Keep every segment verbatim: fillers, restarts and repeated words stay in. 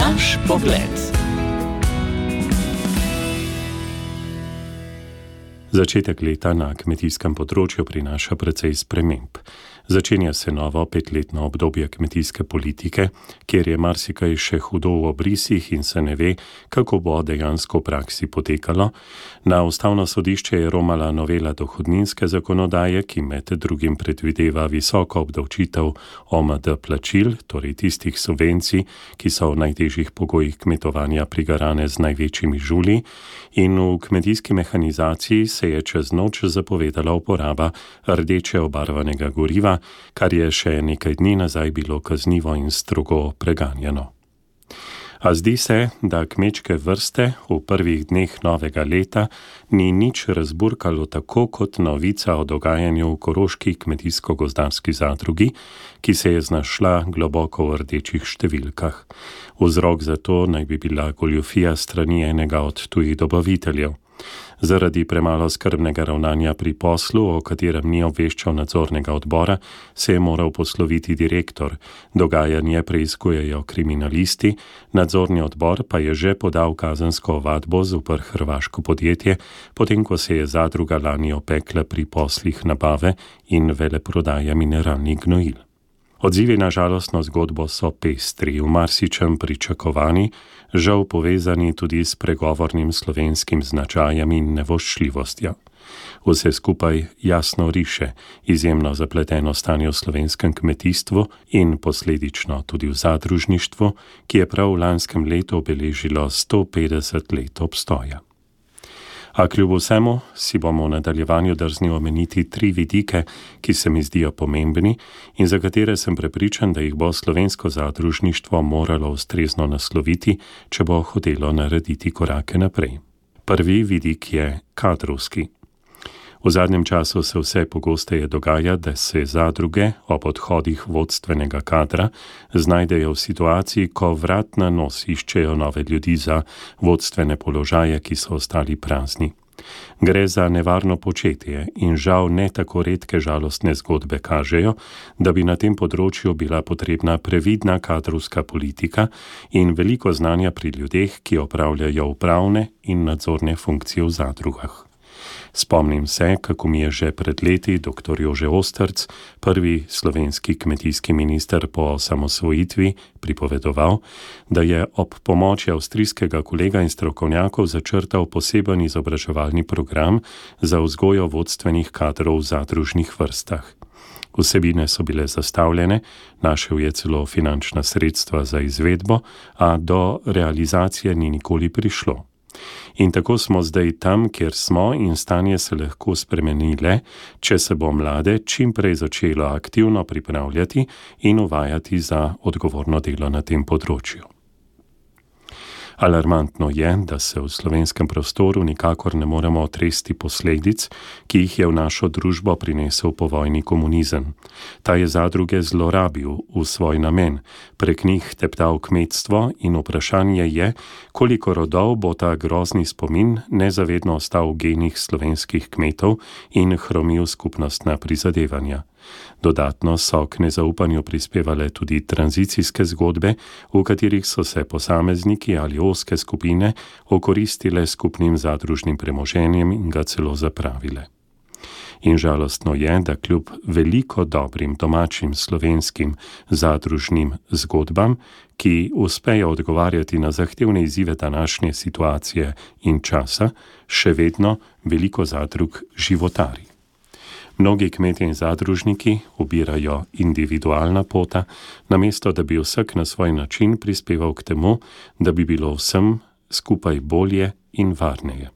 Naš pogled. Začetek leta na kmetijskem področju prinaša precej sprememb. Začenja se novo petletno obdobje kmetijske politike, kjer je marsikaj še hudo v obrisih in se ne ve, kako bo dejansko v praksi potekalo. Na ustavno sodišče je romala novela dohodninske zakonodaje, ki med drugim predvideva visoko obdavčitev O M D plačil, torej tistih subvencij, ki so v najtežjih pogojih kmetovanja prigarane z največjimi žulji, in v kmetijski mehanizaciji se je čez noč zapovedala uporaba rdeče obarvanega goriva, kar je še nekaj dni nazaj bilo kaznivo in strogo preganjano. A zdi se, da kmečke vrste v prvih dneh novega leta ni nič razburkalo tako kot novica o dogajanju v Koroški kmetijsko-gozdarski zadrugi, ki se je znašla globoko v rdečih številkah. Vzrok za to naj bi bila goljufija strani enega od tujih dobaviteljev. Zaradi premalo skrbnega ravnanja pri poslu, o katerem ni obveščal nadzornega odbora, se je moral posloviti direktor. Dogajanje preiskujejo kriminalisti, nadzorni odbor pa je že podal kazensko ovadbo zoper hrvaško podjetje, potem ko se je zadruga lani opekla pri poslih nabave in veleprodaje mineralnih gnojil. Odzivi na žalostno zgodbo so pestri, v marsičem pričakovani, žal povezani tudi s pregovornim slovenskim značajem in nevoščljivostjo. Vse skupaj jasno riše izjemno zapleteno stanje v slovenskem kmetijstvu in posledično tudi v zadružništvu, ki je prav v lanskem letu obeležilo sto petdeset let obstoja. A kljub vsemu si bomo v nadaljevanju drzni omeniti tri vidike, ki se mi zdijo pomembni in za katere sem prepričan, da jih bo slovensko zadružništvo moralo ustrezno nasloviti, če bo hotelo narediti korake naprej. Prvi vidik je kadrovski. V zadnjem času se vse pogosteje dogaja, da se zadruge ob odhodih vodstvenega kadra znajdejo v situaciji, ko vrat na nos iščejo nove ljudi za vodstvene položaje, ki so ostali prazni. Gre za nevarno početje in žal ne tako redke žalostne zgodbe kažejo, da bi na tem področju bila potrebna previdna kadrovska politika in veliko znanja pri ljudeh, ki opravljajo upravne in nadzorne funkcije v zadrugah. Spomnim se, kako mi je že pred leti doktor Jože Osterc, prvi slovenski kmetijski minister po osamosvojitvi, pripovedoval, da je ob pomoči avstrijskega kolega in strokovnjakov začrtal poseben izobraževalni program za vzgojo vodstvenih kadrov v zadružnih vrstah. Vsebine so bile zastavljene, našel je celo finančna sredstva za izvedbo, a do realizacije ni nikoli prišlo. In tako smo zdaj tam, kjer smo in stanje se lahko spremeni le, če se bo mlade čim prej začelo aktivno pripravljati in uvajati za odgovorno delo na tem področju. Alarmantno je, da se v slovenskem prostoru nikakor ne moremo otresti posledic, ki jih je v našo družbo prinesel povojni komunizem. Ta je zadruge zlorabil v svoj namen, prek njih teptal kmetstvo in vprašanje je, koliko rodov bo ta grozni spomin nezavedno ostal v genih slovenskih kmetov in hromil skupnostna prizadevanja. Dodatno so k nezaupanju prispevale tudi tranzicijske zgodbe, v katerih so se posamezniki ali ozke skupine okoristile skupnim zadružnim premoženjem in ga celo zapravile. In žalostno je, da kljub veliko dobrim domačim slovenskim zadružnim zgodbam, ki uspejo odgovarjati na zahtevne izzive današnje situacije in časa, še vedno veliko zadrug životari. Mnogi kmetje in zadružniki ubirajo individualna pota, namesto da bi vsak na svoj način prispeval k temu, da bi bilo vsem skupaj bolje in varneje.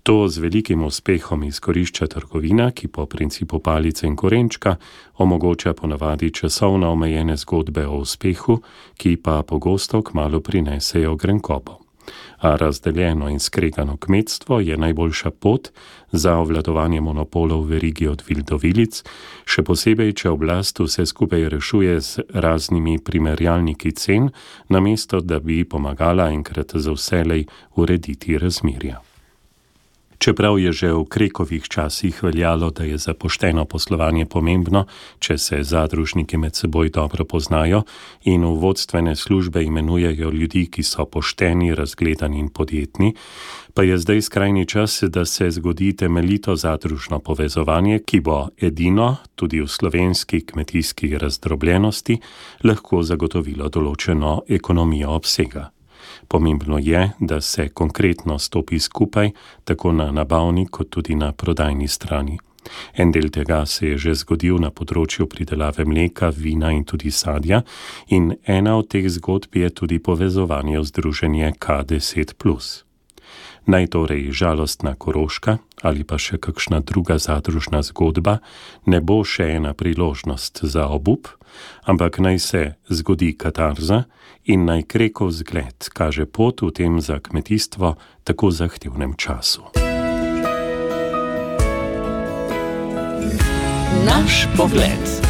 To z velikim uspehom izkorišča trgovina, ki po principu palice in korenčka omogoča ponavadi časovno omejene zgodbe o uspehu, ki pa pogosto kmalu prinesejo grenkobo. A razdeljeno in skregano kmetstvo je najboljša pot za obvladovanje monopolov v verigi od vil do vilic, še posebej, če oblast vse skupaj rešuje z raznimi primerjalniki cen, namesto da bi pomagala enkrat za vselej urediti razmerja. Čeprav je že v Krekovih časih veljalo, da je za pošteno poslovanje pomembno, če se zadružniki med seboj dobro poznajo in v vodstvene službe imenujejo ljudi, ki so pošteni, razgledani in podjetni, pa je zdaj skrajni čas, da se zgodi temeljito zadružno povezovanje, ki bo edino, tudi v slovenski kmetijski razdrobljenosti, lahko zagotovilo določeno ekonomijo obsega. Pomembno je, da se konkretno stopi skupaj, tako na nabavni kot tudi na prodajni strani. En del tega se je že zgodil na področju pridelave mleka, vina in tudi sadja in ena od teh zgodb je tudi povezovanje v združenje K deset plus. Naj torej žalostna Koroška ali pa še kakšna druga zadružna zgodba ne bo še ena priložnost za obup, ampak naj se zgodi katarza in naj Krekov zgled kaže pot v tem za kmetijstvo tako zahtevnem času. Naš pogled.